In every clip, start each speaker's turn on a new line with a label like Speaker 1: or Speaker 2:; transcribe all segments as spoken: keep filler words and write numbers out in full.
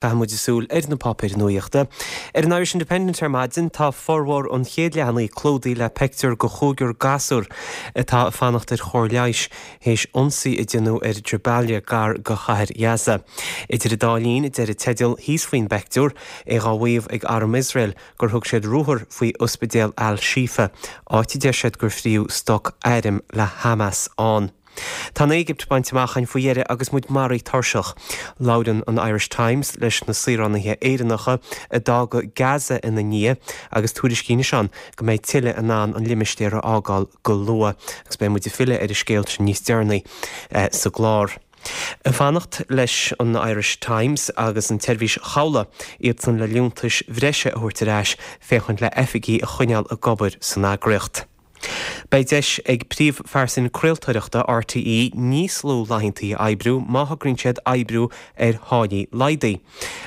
Speaker 1: Caithfidh muid súil ar na páipéir nuachta. Ar an Irish Independent ar maidin tá formhór an chéad leathanaigh clúdaithe le pictiúr de chúigear gasúr atá ag fanacht ar chóir leighis théis ionsaí a déanadh ar Jabalia gar do chathair Ghaza. Idir an dá linn deir an teideal thíos faoin bpictiúr é á mhaíomh ag arm Iosrael gur thug siad ruathar faoi ospidéal Al-Shifa, áit a deir siad gur fríodh stoc airm le Hamas ann. Tá an Éigipt bainte amach againn faoi dheireadh agus muid maraithe tuirseach. Labhrann an Irish Times leis na saoránaithe Éireannacha a d'fhág Gaza ina ndiaidh agus tuairiscíonn ann go mbeidh tuilleadh in ann an limistéar a fhágáil go luath agus beidh muid ag filleadh ar an scéal sin níos deireanaí eh, sa gclár. Ag fanacht leis an Irish Times agus an tseirbhís chabhlaigh iad san le liúntais bhreise a thabhairt ar ais féachaint le hoifigigh a choinneáil ag obair san eagraíocht. Beidh deis ag príomhphearsain craoltóireachta RTÉ níos lú laethanta a oibriú má thograíonn siad oibriú ar tháillí laghdaithe.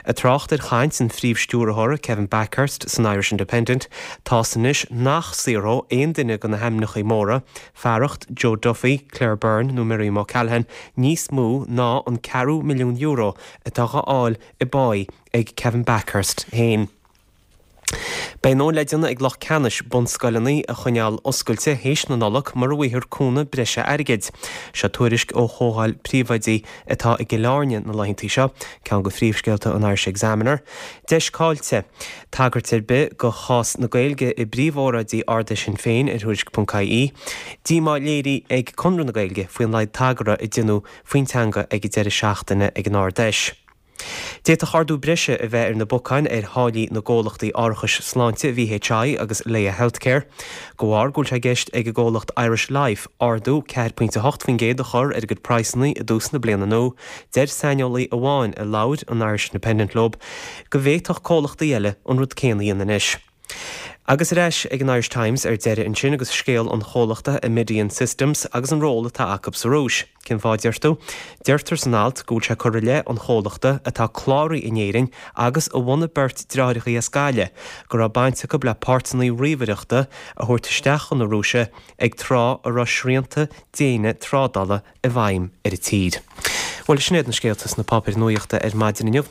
Speaker 1: Ag trácht ar chaint an phríomhstiúrthóra Kevin Bakhurst san Irish Independent, tá anois nach saothródh aon duine de na hainmneacha móra, fearacht Joe Duffy, Claire Byrne nó Miriam O'Callaghan níos mó ná an ceathrú milliún euro atá á fháil i bpá ag Kevin Bakhurst féin. Beidh nó le déanamh ag lucht ceannais bunscoileanna a choinneáil oscailte théis na Nollag mura bhfaighfear cúnamh breise airgid. Seo tuairisc ó Chomhdháil Príomhoidí atá i gCill Airne na laethanta seo, ceann de phríomhscéalta an Irish Examiner. Deis caillte. Tagairt ar bith do chás na Gaeilge i bpríomhóráidí Ard-Fheis Shinn Féin ar Thuairisc.ie. Díomá léirithe ag Conradh na Gaeilge faoin laghad tagartha a déanadh faoin teanga ag an deireadh seachtaine ag an Ard-Fheis. D'fhéadfadh ardú breise a bheith ar na bacáin ar tháillí na gcomhlachtaí árachais sláinte VHI agus Laya Healthcare. De bharr go bhfuil sé i gceist ag an gcomhlacht Irish Life ardú ceathair pointe hocht faoin gcéad a chur ar a gcuid praghsanna i dtús na bliana nua, deir saineolaí amháin a labhair an Irish Independent leo go bhféadfadh comhlachtaí eile an rud céanna a dhéanamh anois. Agus ar ais ag an Irish Times ar deireadh ansin agus scéal an chomhlachta Amidian Systems agus an ról atá acu sa Rúis. Cén fáth deir tú? Deirtear san alt go bhfuil sé curtha i leith an chomhlachta atá cláraithe in Éirinn agus a bhunaigh beirt deartháireacha as Gaillimh go raibh baint acu le páirteanna ríomhaireachta a thabhairt isteach chun na Rúise ag tráth a raibh srianta déine trádála i bhfeidhm ar an tír. Bhuel sin iad na scéalta sna páipéir nuachta ar maidin inniu.